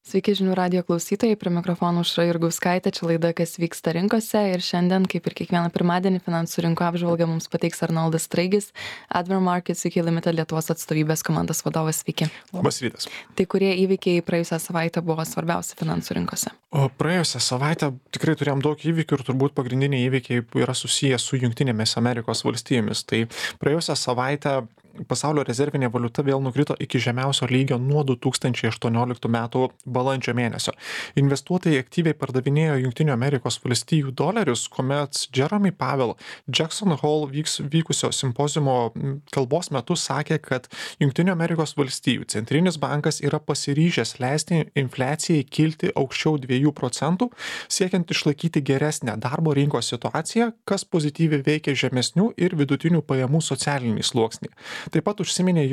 Sveiki žinių radijo klausytojai, prie mikrofonų Aušra Jurgauskaitė, čia laida Kas vyksta rinkose ir šiandien, kaip ir kiekvieną pirmadienį, finansų rinkų apžvalgą mums pateiks Arnoldas Straigis, Admiral Markets UK Limited Lietuvos atstovybės komandos vadovas. Sveiki. Labas rytas. Tai kurie įvykiai praėjusią savaitę buvo svarbiausi finansų rinkose? O praėjusią savaitę tikrai turėjom daug įvykių ir turbūt pagrindiniai įvykiai yra susiję su Jungtinėmis Amerikos valstijomis. Tai praėjusią savaitę pasaulio rezervinė valiuta vėl nukrito iki žemiausio lygio nuo 2018 metų balandžio mėnesio. Investuotojai aktyviai pardavinėjo Jungtinių Amerikos valstijų dolerius, kuomet Jeremy Powell Jackson Hole vykusio simpoziumo kalbos metu sakė, kad Jungtinių Amerikos valstijų centrinis bankas yra pasiryžęs leisti infliacijai kilti aukščiau 2%, siekiant išlaikyti geresnę darbo rinkos situaciją, kas pozityviai veikia žemesnių ir vidutinių pajamų socialinį sluoksnį. Taip pat užsiminė,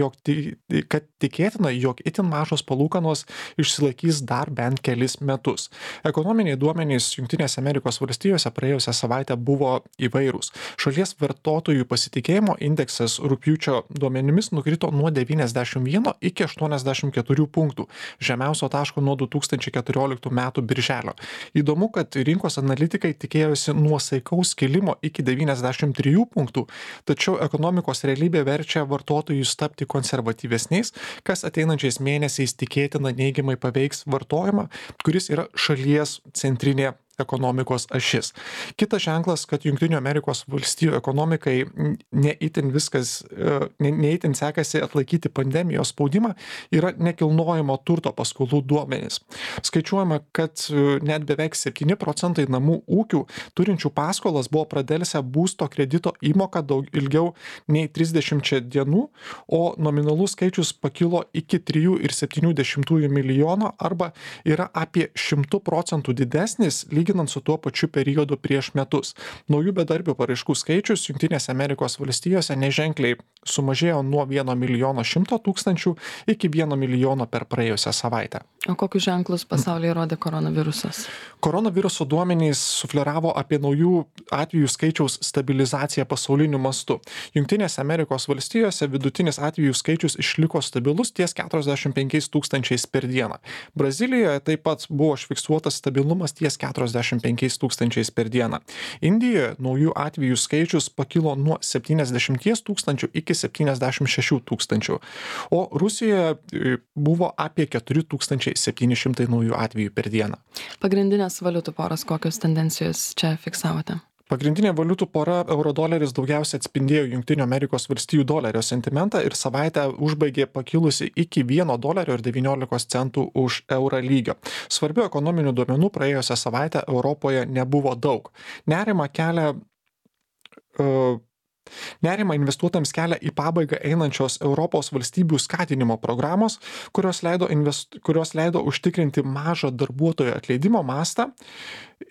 kad tikėtina, jog itin mažos palūkanos išsilaikys dar bent kelis metus. Ekonominiai duomenys Jungtinėse Amerikos valstijose praėjusią savaitę buvo įvairūs. Šalies vartotojų pasitikėjimo indeksas rugpjūčio duomenimis nukrito nuo 91 iki 84 punktų, žemiausio taško nuo 2014 metų birželio. Įdomu, kad rinkos analitikai tikėjosi nuosaikaus kilimo iki 93 punktų, tačiau ekonomikos realybė verčia vartotojus tapti konservatyvesniais, kas ateinančiais mėnesiais tikėtina neigiamai paveiks vartojimą, kuris yra šalies centrinė ekonomikos ašis. Kitas ženklas, kad Jungtinių Amerikos valstijų ekonomikai neįtin sekasi atlaikyti pandemijos spaudimą, yra nekilnojamo turto paskolų duomenys. Skaičiuojama, kad net beveik 7% namų ūkių turinčių paskolas buvo pradelsę būsto kredito įmoką daug ilgiau nei 30 dienų, o nominalus skaičius pakilo iki 3,7 milijono arba yra apie 100% didesnis lyginant su tuo pačiu periodu prieš metus. Naujų bedarbių paraiškų skaičius Jungtinėse Amerikos valstijose neženkliai sumažėjo nuo 1 milijono 100 tūkstančių iki 1 milijono per praėjusią savaitę. O kokius ženklus pasaulyje rodė koronavirusas? Koronaviruso duomenys sufleravo apie naujų atvejų skaičiaus stabilizaciją pasauliniu mastu. Jungtinėse Amerikos valstijose vidutinis atvejų skaičius išliko stabilus ties 45 tūkstančiais per dieną. Brazilijoje taip pat buvo užfiksuotas stabilumas ties 45 tūkstančiais per dieną. Indijoje naujų atvejų skaičius pakilo nuo 70 tūkstančių iki 76 tūkstančių, o Rusijoje buvo apie 4700 naujų atvejų per dieną. Pagrindinės valiutų poros kokios tendencijos čia fiksavote? Pagrindinė valiutų pora euro-doleris daugiausia atspindėjo Jungtinių Amerikos valstijų dolerio sentimentą ir savaitę užbaigė pakilusi iki $1.19 už eurą lygio. Svarbių ekonominių duomenų praėjusią savaitę Europoje nebuvo daug. Nerimą investuotojams kelia į pabaigą einančios Europos valstybių skatinimo programos, kurios leido užtikrinti mažą darbuotojų atleidimo mastą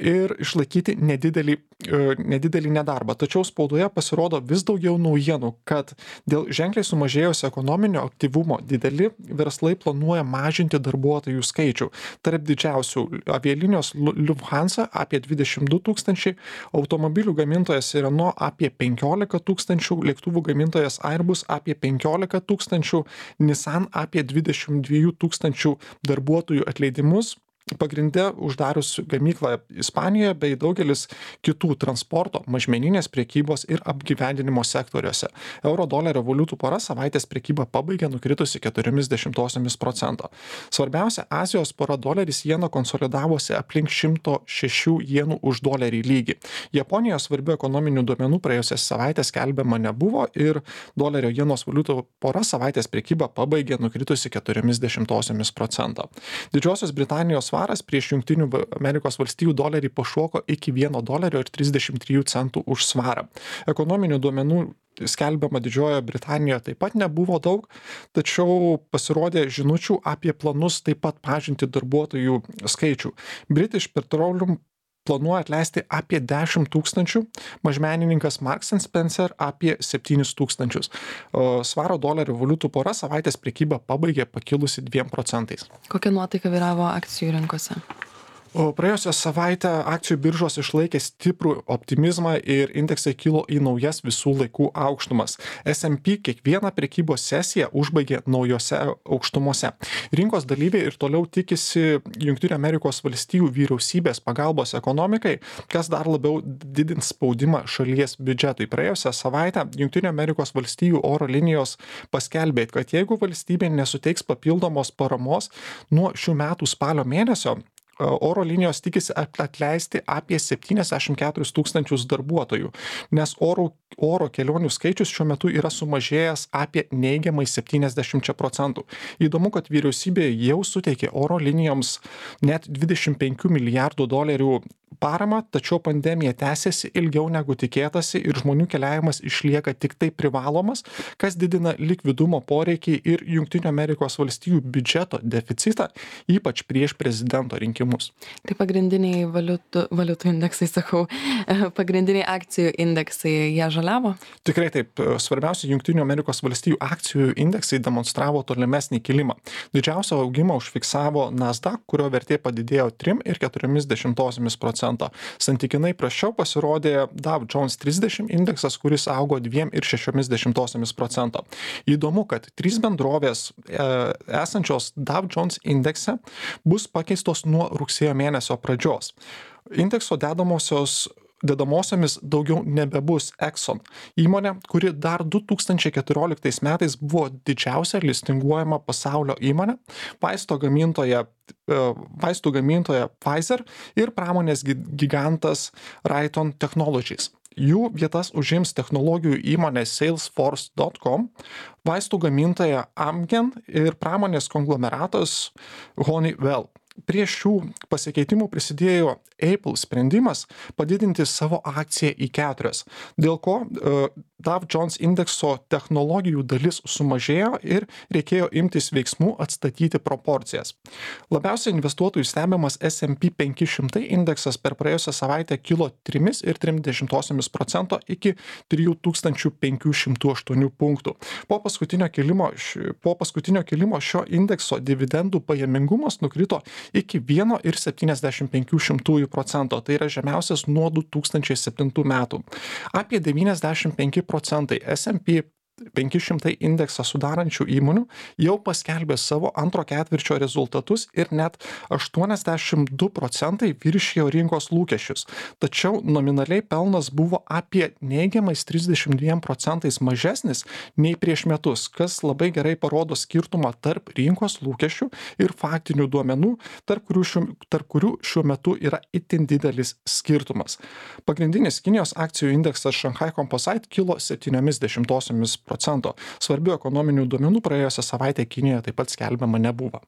ir išlaikyti nedidelį nedarbą. Tačiau spaudoje pasirodo vis daugiau naujienų, kad dėl ženkliai sumažėjusio ekonominio aktyvumo dideli verslai planuoja mažinti darbuotojų skaičių. Tarp didžiausių avialinijos Lufthansa apie 22 tūkstančiai, automobilių gamintojas Renault apie 15 tūkstančių, lėktuvų gamintojas Airbus apie 15 tūkstančių, Nissan apie 22 tūkstančių darbuotojų atleidimus. Pagrinde uždarius gamyklą Ispanijoje bei daugelis kitų transporto, mažmeninės prekybos ir apgyvendinimo sektoriuose. Euro-dolerio valiutų pora savaitės prekybą pabaigė nukritusi 0,4%. Svarbiausia, Azijos pora doleris jena konsolidavosi aplink 106 jenų už dolerį lygį. Japonijos svarbių ekonominių duomenų praėjusią savaitę skelbiama nebuvo ir dolerio jenos valiutų pora savaitės prekybą pabaigė nukritusi 0,4%. Didžiosios Britanijos svaras prieš Jungtinių Amerikos valstijų dolerį pašoko iki $1.33 už svarą. Ekonominių duomenų skelbiama Didžiojoje Britanijoje taip pat nebuvo daug, tačiau pasirodė žinučių apie planus taip pat mažinti darbuotojų skaičių. British Petroleum planuoja atleisti apie 10 tūkstančių, mažmenininkas Marks & Spencer apie 7 tūkstančius. Svaro dolerio valiutų pora savaitės prekybą pabaigė pakilusi 2%. Kokia nuotaika vyravo akcijų rinkose? O praėjusią savaitę akcijų biržos išlaikė stiprų optimizmą ir indeksai kilo į naujas visų laikų aukštumas. S&P kiekvieną prekybos sesiją užbaigė naujose aukštumose. Rinkos dalyviai ir toliau tikisi Jungtinių Amerikos valstijų vyriausybės pagalbos ekonomikai, kas dar labiau didins spaudimą šalies biudžetui. Praėjusią savaitę Jungtinių Amerikos valstijų oro linijos paskelbė, kad jeigu valstybė nesuteiks papildomos paramos nuo šių metų spalio mėnesio, oro linijos tikisi atleisti apie 74 tūkstančius darbuotojų, nes oro kelionių skaičius šiuo metu yra sumažėjęs apie neigiamai 70%. Įdomu, kad vyriausybė jau suteikė oro linijoms net 25 milijardų dolerių paramą, tačiau pandemija tęsiasi ilgiau negu tikėtasi ir žmonių keliavimas išlieka tik tai privalomas, kas didina likvidumo poreikį ir Jungtinių Amerikos valstijų biudžeto deficitą, ypač prieš prezidento rinkimus. Tai pagrindiniai valiutų indeksai, pagrindiniai akcijų indeksai, jie žaliavo? Tikrai taip. Svarbiausia, Jungtinių Amerikos valstijų akcijų indeksai demonstravo tolimesnį kilimą. Didžiausią augimą užfiksavo Nasdaq, kurio vertė padidėjo 3,4%. Santykinai prasčiau pasirodė Dow Jones 30 indeksas, kuris augo 2,6%. Įdomu, kad 3 bendrovės esančios Dow Jones indekse bus pakeistos nuo rugsėjo mėnesio pradžios. Indekso dedamosiomis daugiau nebebus Exxon, įmonė, kuri dar 2014 metais buvo didžiausia listinguojama pasaulio įmonė, vaistų gamintoja Pfizer ir pramonės gigantas Raytheon Technologies. Jų vietas užims technologijų įmonė Salesforce.com, vaistų gamintoja Amgen ir pramonės konglomeratas Honeywell. Prie šių pasikeitimų prisidėjo Apple sprendimas padidinti savo akciją į 4, dėl ko Dow Jones indekso technologijų dalis sumažėjo ir reikėjo imtis veiksmų atstatyti proporcijas. Labiausiai investuotojų stebimas S&P 500 indeksas per praėjusią savaitę kilo 3,3% iki 3508 punktų. Po paskutinio kilimo šio indekso dividendų pajamingumas nukrito iki 1,75%, tai yra žemiausias nuo 2007 metų. Apie 95% S&P 500 indeksą sudarančių įmonių jau paskelbė savo antro ketvirčio rezultatus ir net 82% viršijo rinkos lūkesčius. Tačiau nominaliai pelnas buvo apie neigiamais 32% mažesnis nei prieš metus, kas labai gerai parodo skirtumą tarp rinkos lūkesčių ir faktinių duomenų, tarp kurių šiuo metu yra itin didelis skirtumas. Pagrindinis Kinijos akcijų indeksas Shanghai Composite kilo 0,7%. Svarbių ekonominių duomenų praėjusią savaitę Kinijoje taip pat skelbiama nebuvo.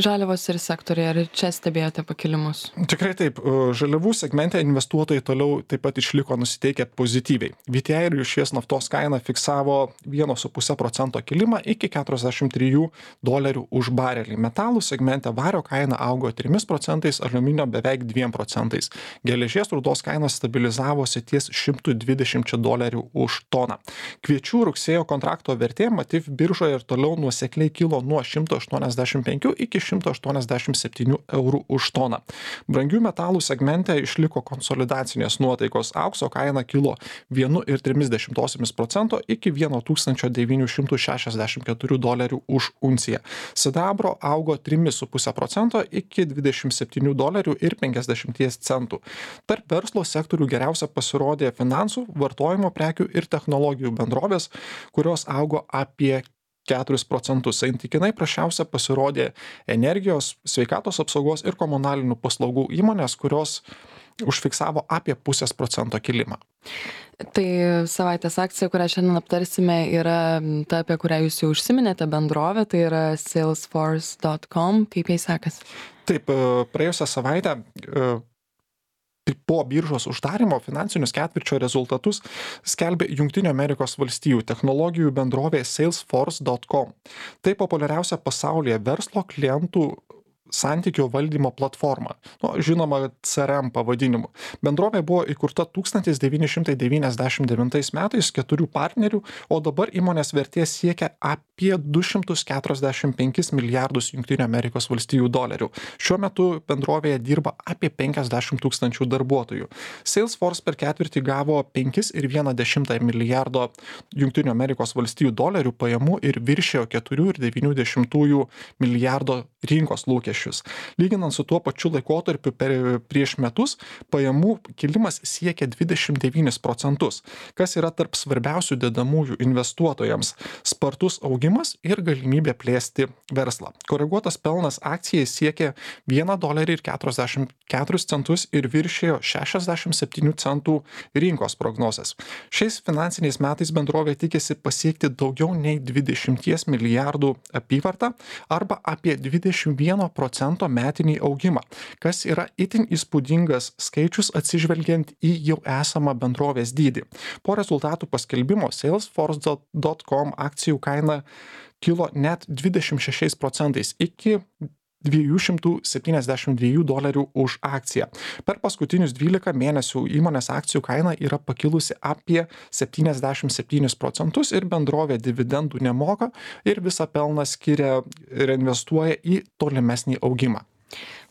Žaliavos ir sektoriai, ar čia stebėjote pakilimus? Tikrai taip. Žaliavų segmente investuotojai toliau taip pat išliko nusiteikę pozityviai. VTI ir rūšies naftos kaina fiksavo 1,5% kilimą iki $43 už barelį. Metalų segmente vario kaina augo 3%, aliuminio beveik 2%. Geležies rūdos kaina stabilizavosi ties $120 už toną. Kviečių rugsėjo kontrakto vertė Matif biržoje ir toliau nuosekliai kilo nuo 185 iki 187 eurų už toną. Brangių metalų segmente išliko konsolidacinės nuotaikos. Aukso kaina kilo 1,3% iki $1964 už unciją. Sidabro augo 3,5% iki $27,50. Tarp verslo sektorių geriausia pasirodė finansų, vartojimo prekių ir technologijų bendrovės, kurios augo apie 4%. Santykinai prasčiausia pasirodė energijos, sveikatos apsaugos ir komunalinių paslaugų įmonės, kurios užfiksavo apie 0,5% kilimą. Tai savaitės akcija, kurią šiandien aptarsime, yra ta, apie kurią jūs jau užsiminėte, bendrovė, tai yra Salesforce.com. Kaip jai sekasi? Taip, praėjusią savaitę po biržos uždarimo finansinius ketvirčio rezultatus skelbė Jungtinių Amerikos valstijų technologijų bendrovė Salesforce.com. Tai populiariausia pasaulyje verslo klientų santykio valdymo platforma, žinoma CRM pavadinimu. Bendrovė buvo įkurta 1999 metais 4 partnerių, o dabar įmonės vertė siekia apie 245 milijardus JAV. Šiuo metu bendrovėje dirba apie 50 tūkstančių darbuotojų. Salesforce per ketvirtį gavo 5,1 milijardo JAV pajamų ir viršėjo 4,9 milijardo rinkos lūkesčius. Lyginant su tuo pačiu laikotarpiu prieš metus, pajamų kilimas siekia 29%, kas yra tarp svarbiausių dedamųjų investuotojams - spartus augimas ir galimybė plėsti verslą. Koreguotas pelnas akcijai siekia $1,44 ir viršėjo 67 centų rinkos prognozes. Šiais finansiniais metais bendrovė tikisi pasiekti daugiau nei 20 milijardų apyvartą arba apie 21% metinį augimą, kas yra itin įspūdingas skaičius atsižvelgiant į jau esamą bendrovės dydį. Po rezultatų paskelbimo Salesforce.com akcijų kaina kilo net 26% iki $272 už akciją. Per paskutinius 12 mėnesių įmonės akcijų kaina yra pakilusi apie 77% ir bendrovė dividendų nemoka ir visą pelną skiria ir investuoja į tolimesnį augimą.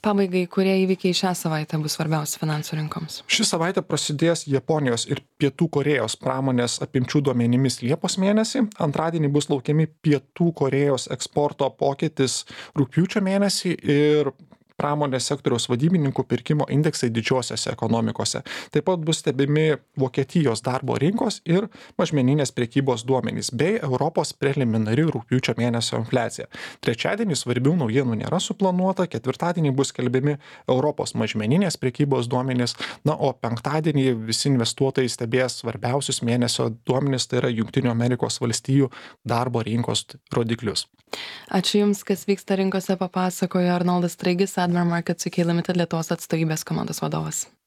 Pabaigai, kurie įvykiai šią savaitę bus svarbiausi finansų rinkoms? Ši savaitė prasidės Japonijos ir Pietų Korėjos pramonės apimčių duomenimis Liepos mėnesį. Antradienį bus laukiami Pietų Korėjos eksporto pokytis rugpjūčio mėnesį ir pramonės sektoriaus vadybininkų pirkimo indeksai didžiosiose ekonomikose. Taip pat bus stebimi Vokietijos darbo rinkos ir mažmeninės prekybos duomenys bei Europos preliminari rugpjūčio mėnesio infliacija. Trečiadienį svarbių naujienų nėra suplanuota, ketvirtadienį bus skelbiami Europos mažmeninės prekybos duomenys, o penktadienį visi investuotojai stebės svarbiausius mėnesio duomenys, tai yra JAV darbo rinkos rodiklius. Ačiū Jums, kas vyksta rinkose, papasakojo Arnoldas Straigis, Admiral Markets UK Limited Lietuvos atstovybės komandos vadovas.